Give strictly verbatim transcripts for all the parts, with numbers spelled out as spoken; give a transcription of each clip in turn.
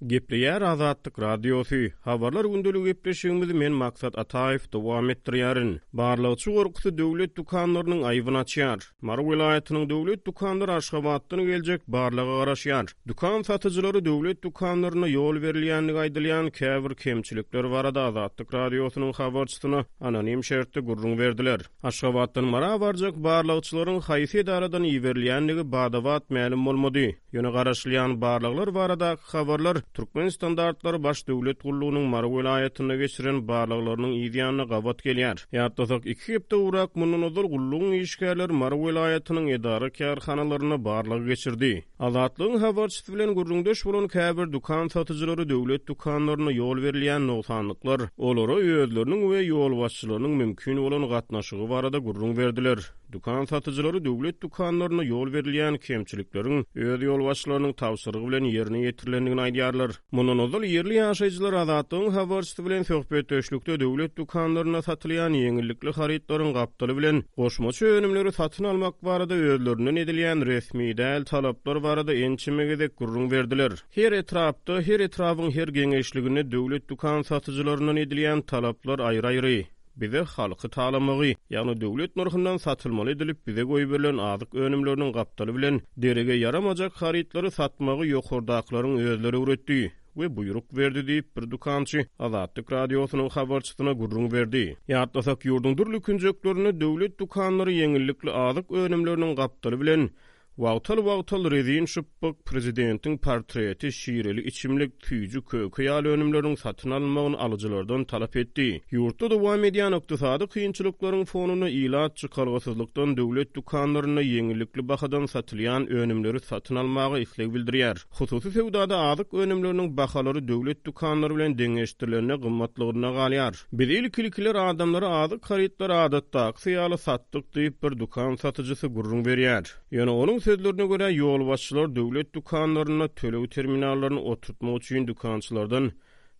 Gepleýär Azatlyk Radiosy, Habarlar gündeligi gepleşigimizi men Maksat Ataýew dowam etdirýärin. Barlagçy gorkusy döwlet dükanlarynyň aýbyny açýar. Mary welaýatynyň döwlet dükanlary Aşgabatdan geljek barlaga garaşýar. Dükan satyjylary döwlet dükanlarynda ýol berilýändigi aýdylýan käbir kemçilikler barada Azatlyk Radiosynyň habarçysyna anonim şertde gürrüň berdiler. Aşgabatdan Mara barjak barlagçylaryň haýsy edaradan iberilýändigi bada-bat mälim bolmady. Ýöne garaşylýan barlaglar baradaky habarlar Türkmen standartlary baş döwlet gullugynyň Mary welaýatynda geçiren barlaglarynyň yz ýanyna gabat gelýär. Ýatlasak, iki hepde gowrak mundan ozal gullugyň işgärleri Mary welaýatynyň edara-kärhanalarynda barlag geçirdi. Azatlygyň habarçysy bilen gürrüňdeş bolan käbir dükan satyjylary döwlet dükanlarynda ýol berilýän nogsanlyklar, olara özleriniň we ýolbaşçylarynyň mümkin bolan gatnaşygy barada gürrüň berdiler. Dükan satyjylary döwlet dükanlarynda ýol berilýän kemçilikleriň öz ýolbaşçylarynyň tabşyrygy bilen ýerine ýetirilendigini aýdýarlar. Mundan ozal ýerli ýaşaýjylar Azatlygyň habarçysy bilen söhbetdeşlikde döwlet dükanlarynda satylýan ýeňillikli harytlaryň gapdaly bilen goşmaça önümleri satyn almak barada özlerinden edilýän resmi däl talaplar barada ençeme gezek gürrüň berdiler. Her etrapda, her etrabyň her geňeşliginde döwlet dükan satyjylaryndan edilýän talaplar aýry-aýry. Bize halky talamagy, ýagny döwlet nyrhyndan satylmaly edilip bize goýberilen azyk önümleriniň gapdaly bilen derege ýaramajak harytlary satmagy ýokardakylaryň özleri öwretdi we buýruk berdi diýip, bir dükançy Azatlyk Radiosynyň habarçysyna gürrüň berdi. Ýatlasak, ýurduň dürli künjeklerinde döwlet dükanlary ýeňillikli azyk önümleriniň gapdaly bilen wagtal-wagtal rezin şypbyk, prezidentiň portreti, şireli içimlik, süýji köke ýaly önümleriň satyn alynmagyny alyjylardan talap etdi. Ýurtda dowam edýän ykdysady kynçylyklaryň fonunda ilat çykalgasyzlykdan döwlet dükanlarynda ýeňillikli bahadan satylýan önümleri satyn almaga isleg bildirýär. Hususy söwdada azyk önümleriniň bahalary döwlet dükanlary bilen deňeşdirilende gymmatlygyna galýar. Biz ilki-ilkiler adamlara azyk harytlary adatdakysy ýaly satdyk diýip, bir dükan satyjysy gürrüň berýär. Ýöne onuň sözlerine görä, ýolbaşçylar döwlet dükanlarynda töleg terminallaryny oturtmak üçin dükançylardan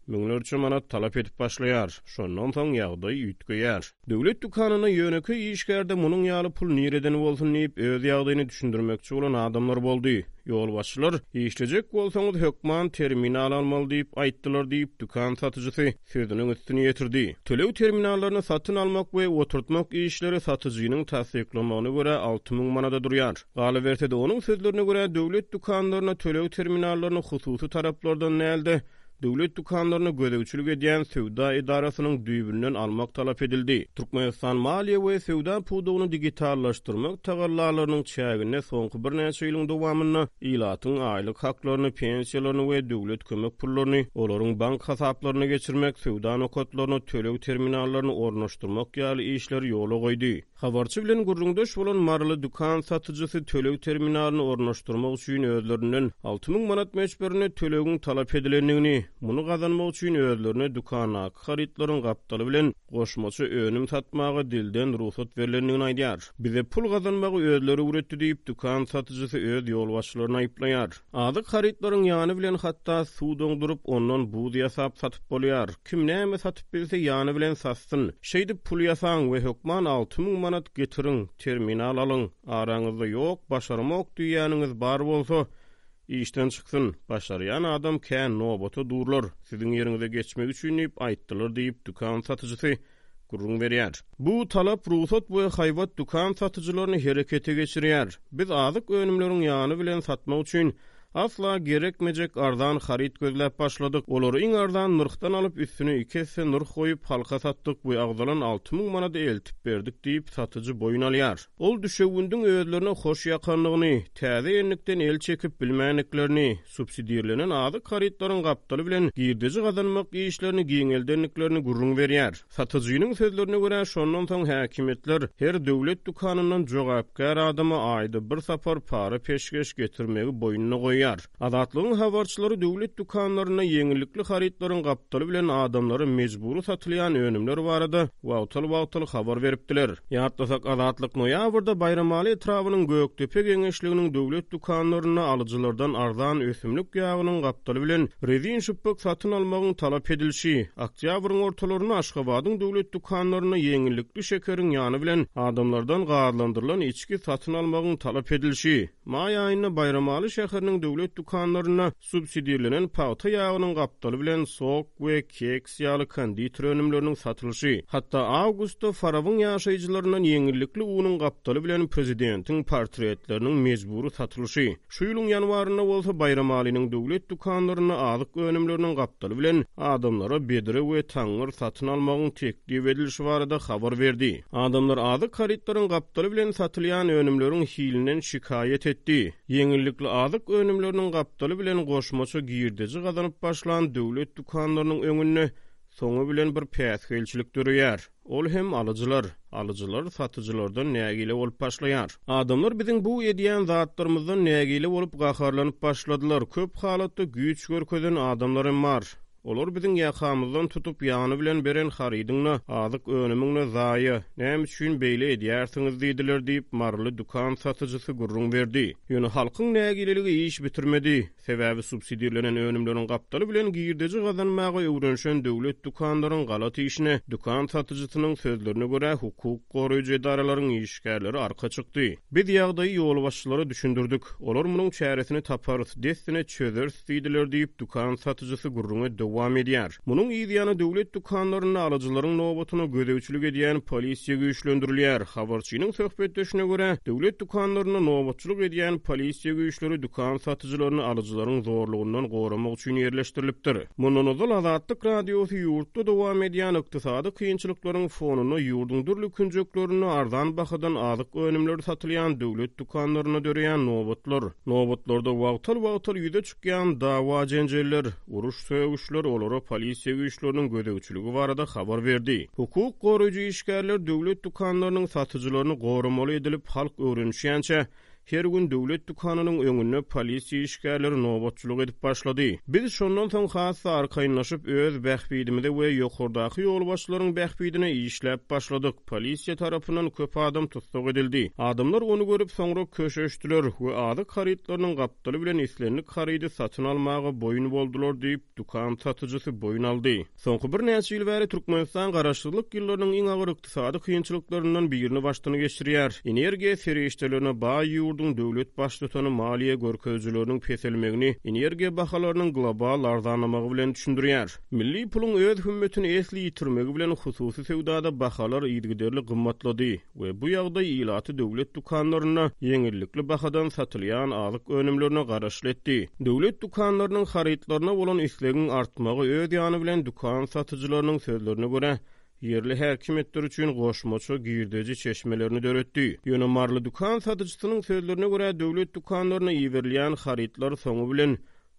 müňlerçe manat talap edip başlaýar. Şondan soň ýagdaý üýtgeýär. Döwlet dükanynda ýönekeý işgärde munuň ýaly pul nireden bolsun diýip, öz ýagdaýyny düşündirmekçi bolan adamlar boldy. Ýolbaşçylar, işlejek bolsaňyz hökman terminal almaly diýip aýtdylar diýip, dükan satyjysy sözüniň üstüni ýetirdi. Töleg terminallaryny satyn almak we oturtmak işleri satyjynyň tassyklamagyna görä alty müň manada durýar. Galyberse-de, onuň sözlerine görä, döwlet dükanlaryna töleg terminallaryny hususy taraplardan däl-de, döwlet dükanlaryna gözegçilik edýän söwda edarasynyň düýbünden almak talap edildi. Türkmenistan maliýe we söwda pudagyny digitallaşdyrmak tagallalarynyň çäginde soňky birnäçe ýylyň dowamynda ilatyň aýlyk haklaryny, pensiýalaryny we döwlet kömek pullaryny olaryň bank hasaplaryna geçirmek, söwda nokatlaryna töleg terminallaryny ornaşdyrmak ýaly işleri ýola goýdy. Habarçy bilen gürrüňdeş bolan maryly dükan satyjysy töleg terminalyny ornaşdyrmak üçin özlerinden alty müň manat möçberinde tölegiň talap edilendigini, muny gazanmak üçin özlerine dükandaky harytlaryň gapdaly bilen goşmaça önüm satmaga dilden rugsat berlendigini aýdýar. Bize pul gazanmagy özleri öwretdi diýip, dükan satyjysy öz ýolbaşçylaryny aýyplaýar. Azyk harytlaryň ýany bilen hatda suw doňduryp, ondan buz ýasap satyp bolýar. Kim näme satyp bilse ýany bilen satsyn. Şeýdip pul ýasaň we hökman alty müň manat getiriň, terminal alyň. Araňyzda ýok, başarmok diýýäniňiz bar bolsa, işden çyksyn. Başarýan adam kän, nobata durlar, siziň ýeriňize geçmek üçin diýip aýtdylar diýip, dükan satyjysy gürrüň berýär. Bu talap rugsat we haýbat dükan satyjylaryny herekete geçirýär. Biz azyk önümleriň ýany bilen satmak üçin asla gerekmejek arzan haryt gözläp başladyk. Olary iň arzan nyrhdan alyp, üstüne iki esse nyrh goýup, halka satdyk we agzalan alty müň manady eltip berdik diýip, satyjy boýun alýar. Ol düşewündiň özlerine hoş ýakandygyny, täze endikden el çekip bilmändiklerini, subsidirlenen azyk harytlaryň gapdaly bilen girdeji gazanmak işlerini giňeldendiklerini gürrüň berýär. Satyjynyň sözlerine görä, şondan soň häkimiýetler her döwlet dükanyndan jogapkär adama aýda bir sapar para peşgeş getirmegi boýnuna goýýar. Azatlygyň habarçylary döwlet dükanlarynda ýeňillikli harytlaryň gapdaly bilen adamlara mejbury satylýan önümler barada wagtal-wagtal habar beripdiler. Ýatlasak, Azatlyk noýabrda Baýramaly etrabynyň Gökdepe geňeşliginiň döwlet dükanlarynda alyjylardan arzan ösümlik ýagynyň gapdaly bilen rezin şypbyk satyn almagyň talap edilişi, oktýabryň ortalarynda Aşgabadyň döwlet dükanlarynda ýeňillikli şekeriň ýany bilen adamlardan gazlandyrylan içgi satyn almagyň talap edilişi, Maý aýynda Baýramaly şäheriniň döwlet dükanlarynda subsidirlenen pagta ýagynyň gapdaly bilen sok we keks ýaly konditer önümleriniň satylyşy, hatda awgustda Farabyň ýaşaýjylaryndan ýeňillikli unuň gapdaly bilen prezidentiň portretleriniň mejbury satylyşy, şu ýylyň ýanwarynda bolsa Baýramalynyň döwlet dükanlarynda azyk önümleriniň gapdaly bilen adamlara bedre we taňňyr satyn almagyň teklip edilişi barada habar berdi. Adamlar azyk harytlaryň gapdaly bilen satylýan önümleriň hilinden şikaýat etdi. Ýeňillikli azyk önümleriniň gapdaly bilen goşmaça girdeji gazanyp başlan döwlet dükanlarynyň öňünde soňy bilen bir päsgelçilik döreýär. Ol hem alyjylar. Alyjylar satyjylardan nägile bolup başlaýar. Adamlar biziň bu edýän zatlarymyzdan nägile bolup gaharlanyp başladylar. Köp halatda güýç görkezen adamlar hem bar. Olar biziň ýakamyzdan tutup ýany bilen beren harydyňda azyk önümiňde zaýa, näme üçin beýle edýärsiňiz diýdiler diýip, maryly dükan satyjysy gürrüň berdi. Ýöne halkyň nägileligi iş bitirmedi. Sebäbi subsidirlenen önümleriň gapdaly bilen girdeji gazanmaga öwrenişen döwlet dükanlaryň galat işine dükan satyjysynyň sözlerine görä hukuk goraýjy edaralaryň işgärleri arka çykdy. Biz ýagdaýy ýolbaşçylara düşündirdik. Olar munuň çäresini taparys, dessine çözeris diýdiler diýip, dükan satyjysy gürrüňe dowam edýär. Munuň yzýany döwlet dükanlarynda alyjylaryň nobatyna gözegçilik edýän polisiýa güýçlendirilýär. Habarçynyň söhbetdeşine görä, döwlet dükanlarynda nobatçylyk edýän polisiýa güýçleri dükan satyjylaryny alyjylaryň zorlugyndan goramak üçin ýerleşdirilipdir. Mundan ozal Azatlyk Radiosy ýurtda dowam edýän ykdysady kynçylyklaryň fonunda ýurduň dürli künjeklerinde arzan bahadan azyk önümleri satylýan döwlet dükanlarynda döreýän nobatlar, nobatlarda wagtal-wagtal ýüze çykýan dawa-jenjeller, uruş-sögüşler olara polisiýa güýçleriniň gözegçiligi barada habar berdi. Hukuk goraýjy işgärler döwlet dükanlarynyň satyjylaryny goramaly edilip halk öwrenişýänçä her gün döwlet dükanynyň öňünde polisiýa işgärleri nobatçylyk edip başlady. Biz şondan soň has-da arkaýynlaşyp öz bähbidimize we ýokardaky ýolbaşçylaryň bähbidine işläp başladyk. Polisiýa tarapyndan köp adam tussag edildi. Adamlar ony görüp soňra köşeşdiler we azyk harytlarynyň gapdaly bilen islendik harydy satyn almaga boýun boldular diýip, dükan satyjysy boýun aldy. Soňky birnäçe ýyl bäri Türkmenistan garaşsyzlyk ýyllarynyň iň agyr ykdysady kynçylyklaryndan birini başdan geçirýär. Energiýa serişdelerine baý ýurduň döwlet baştutany maliýe görkezijileriniň peselmegini energiýa bahalarynyň global arzanlamagy bilen düşündirýär. Milli puluň öz hümmetini esli ýitirmegi bilen hususy söwdada bahalar yzygiderli gymmatlady we bu ýagdaý ilaty döwlet dükanlarynda ýeňillikli bahadan satylýan azyk önümlerine garaşly etdi. Döwlet dükanlarynyň harytlaryna bolan islegiň artmagy öz ýany bilen dükan satyjylarynyň sözlerine görä ýerli häkimiýetler üçin goşmaça girdeji çeşmelerini döretdi. Ýöne maryly dükan satyjysynyň sözlerine görä döwlet dükanlaryna iberilýän harytlar soňy bilen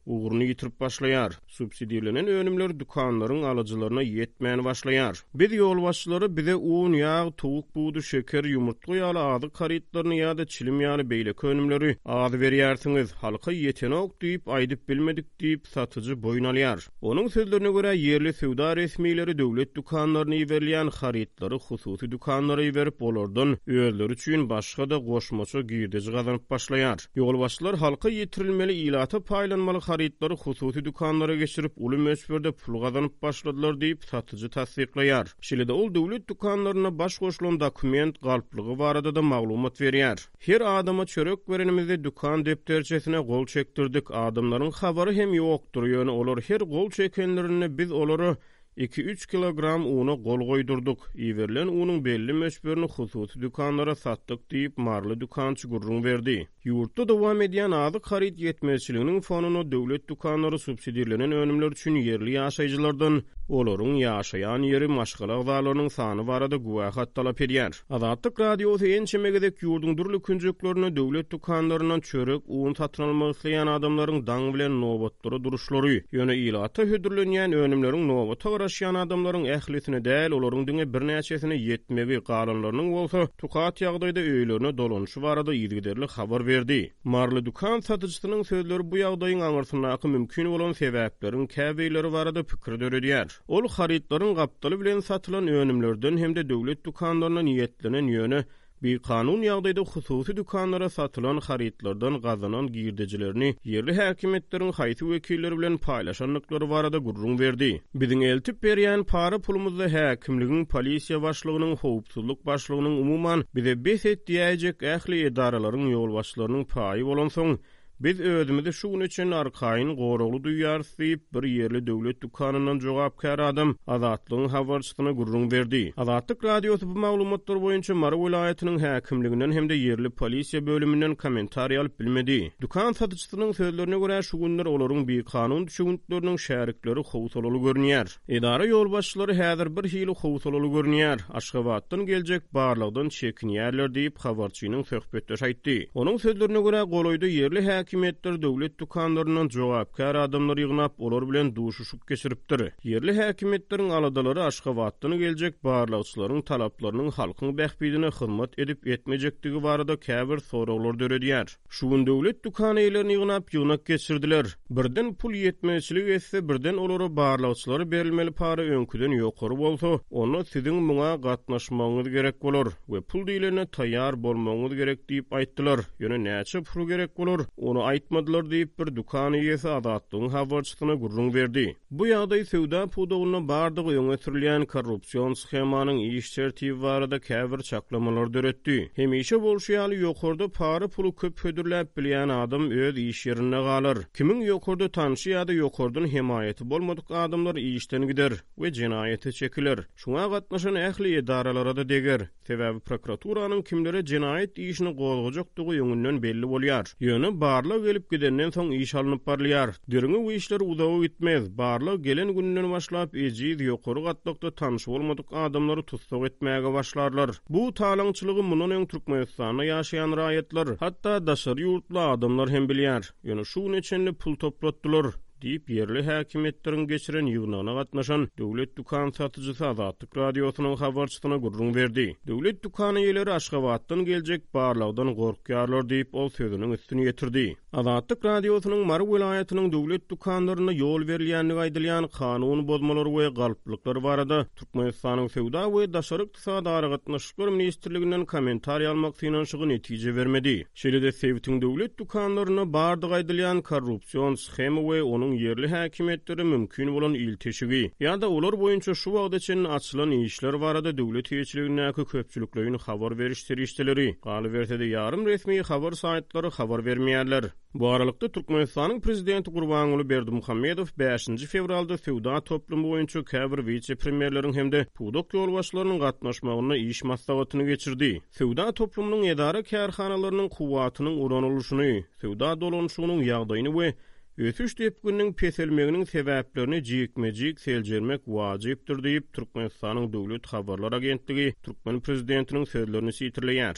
ugruny ýitirip başlaýar. Subsidirlenen önümler dükanlaryň alyjylaryna ýetmän başlaýar. Biz ýolbaşçylary bize un, ýag, towuk budy, şeker, ýumurtga ýaly azyk harytlaryny ýa-da çilim ýaly beýleki önümleri az berýärsiňiz, halka ýetenok diýip aýdyp bilmedik diýip satyjy boýun alýar. Onuň sözlerine görä ýerli söwda resmileri döwlet dükanlaryna iberilýän harytlary hususy dükanlara iberip, olardan özleri üçin başga-da goşmaça girdeji gazanyp başlaýar. Ýolbaşçylar halka ýetirilmeli ilata paýlanmaly harytlary hususy dükanlara geçirip, uly möçberde pul gazanyp başladylar diýip satyjy tassyklaýar. Şeýle-de ol döwlet dükanlarynda baş goşulan dokument galplygy barada da maglumat berýär. Her adama çörek berenimizde dükan depderçesine gol çekdirdik. Adamlaryň habary hem ýokdur. Ýöne olar her gol çekenlerinde biz olara iki üç kilogram una gol goýdurdyk. Iberilen unuň belli möçberini hususy dükanlara satdyk diýip maryly dükançy gürrüň berdi. Ýurtda dowam edýän azyk haryt ýetmezçiliginiň fonunda döwlet dükanlary subsidirlenen önümler üçin ýerli ýaşaýjylardan olaryň ýaşaýan ýeri, maşgala agzalarynyň sany barada güwähat talap edýär. Azatlyk Radiosy ençeme gezek ýurduň dürli künjeklerinde döwlet dükanlaryndan çörek, un satyn almak isleýän adamlaryň daň bilen nobatlara duruşlary, ýöne ilata hödürlenýän önümleriň nobata garaşýan adamlaryň ählisine däl, olaryň diňe birnäçesine ýetmegi, galanlarynyň bolsa tukat ýagdaýda öýlerine dolanyşy barada yzygiderli habar berdi. Maryly dükan satyjysynyň sözleri bu ýagdaýyň aňyrsyndaky mümkin bolan sebäpleriň käbirleri barada pikir döredýär. Ol harytlaryň gapdaly bilen satylan önümlerden hem-de döwlet dükanlaryna niýetlenen ýöne bikanun ýagdaýda hususy dükanlara satylan harytlardan gazanan girdejilerini ýerli häkimiýetleriň haýsy wekilleri bilen paýlaşandyklary barada gürrüň berdi. Biziň eltip berýän para pulumyzda häkimligiň, polisiýa başlygynyň, howpsuzlyk başlygynyň, umuman, bize bes et diýäýjek ähli edaralaryň ýolbaşçylarynyň paýy bolansoň, biz özümizi şu güne çenli arkaýyn, goragly duýýarys diýip, bir ýerli döwlet dükanyndan jogapkär adam Azatlygyň habarçysyna gürrüň berdi. Azatlyk Radiosy bu maglumatlar boýunça Mary welaýatynyň häkimliginden hem-de ýerli polisiýa bölüminden kommentariý alyp bilmedi. Dükan satyjysynyň sözlerine görä, şu günler olaryň bikanun düşewüntleriniň şärikleri howsalaly görünýär. Edara ýolbaşçylary häzir bir hili howsalaly görünýär, Aşgabatdan geljek barlagdan çekinýärler diýip, habarçynyň söhbetdeşi aýtdy. Onuň sözlerine görä, golaýda ýerli häkimiýetler döwlet dükanlaryndan jogapkär adamlary ýygnap, olar bilen duşuşyk geçiripdir. Ýerli häkimiýetleriň aladalary Aşgabatdan geljek barlagçylaryň talaplarynyň halkyň bähbidine hyzmat edip-etmejekdigi barada käbir soraglar döredýär. Şu gün döwlet dükan eýelerini ýygnap, ýygnak geçirdiler. Birden pul ýetmezçilik etse, birden olara barlagçylara berilmeli para öňküden ýokary bolsa, onda siziň muňa gatnaşmagyňyz gerek bolar we pul diýlende taýýar bolmagyňyz gerek diýip aýtdylar. Ýöne näçe pul gerek bolar, ony aýtmadylar diýip, bir dükan eýesi Azatlygyň habarçysyna gürrüň berdi. Bu ýagdaý söwda pudagynda bardygy öňe sürülýän korrupsion shemanyň iş tertibi barada käbir çaklamalary döretdi. Hemişe bolşy ýaly, ýokarda para puly köp hödürläp bilýän adam öz iş ýerinde galar. Kimiň ýokarda tanşy ýa-da ýokardan hemaýaty bolmadyk adamlar işden gider we jenaýata çekiler. Şuňa gatnaşan ähli edaralara-da deger. Sebäbi prokuraturanyň kimlere jenaýat işini gozgajakdygy öňünden belli bolýar. Ýöne barlag gelip gidenden soň iş alnyp barylýar. Derňew işleri uzaga gitmez. Barlag gelen gününden başlap ejiz, ýokary gatlakda tanşy bolmadyk adamlary tussag etmäge başlarlar. Bu talaňçylygy mundan öň Türkmenistanda ýaşaýan raýatlar, hatda daşary ýurtly adamlar hem bilýär. Ýöne şu güne çenli pul toplatdylar, diýip, ýerli häkimiýetleriň geçiren ýygnagyna gatnaşan döwlet dükan satyjysy Azatlyk Radiosynyň habarçysyna gürrüň berdi. Döwlet dükan eýeleri Aşgabatdan geljek barlagdan gorkýarlar diýip, ol sözüniň üstüni ýetirdi. Azatlyk Radiosynyň Mary welaýatynyň döwlet dükanlarynda ýol berilýändigi aýdylýan kanun bozmalary we galplyklar barada Türkmenistanyň Söwda we daşary ykdysady aragatnaşyklar ministrliginden kommentariý almak synanyşygy netije bermedi. Şeýle-de sebitiň döwlet dükanlarynda bardygy aýdylýan korrupsion shema we onuň ýerli häkimiýetlere mümkin bolan ilteşigi ýa-da olar boýunça şu wagta çenli açylan işler barada döwlet eýeçiligindäki köpçülikleýin habar beriş serişdeleri, galyberse-de ýarym resmi habar saýtlary habar bermeýärler. Bu aralykda, Türkmenistanyň prezidenti Gurbanguly Berdimuhamedow bäşinji fewralda söwda toplumy boýunça käbir wise-premýerleriň hem-de pudak ýolbaşçylarynyň gatnaşmagynda iş maslahatyny geçirdi. Söwda toplumynyň edara-kärhanalarynyň kuwwatynyň ulanylyşyny, söwda dolanyşygynyň ýagdaýyny we ösüş depgininiň peselmeginiň sebäplerini jikme-jik seljermek wajypdyr diýip, Türkmenistanyň döwlet habarlar agentligi türkmen prezidentiniň sözlerini sitirleýär.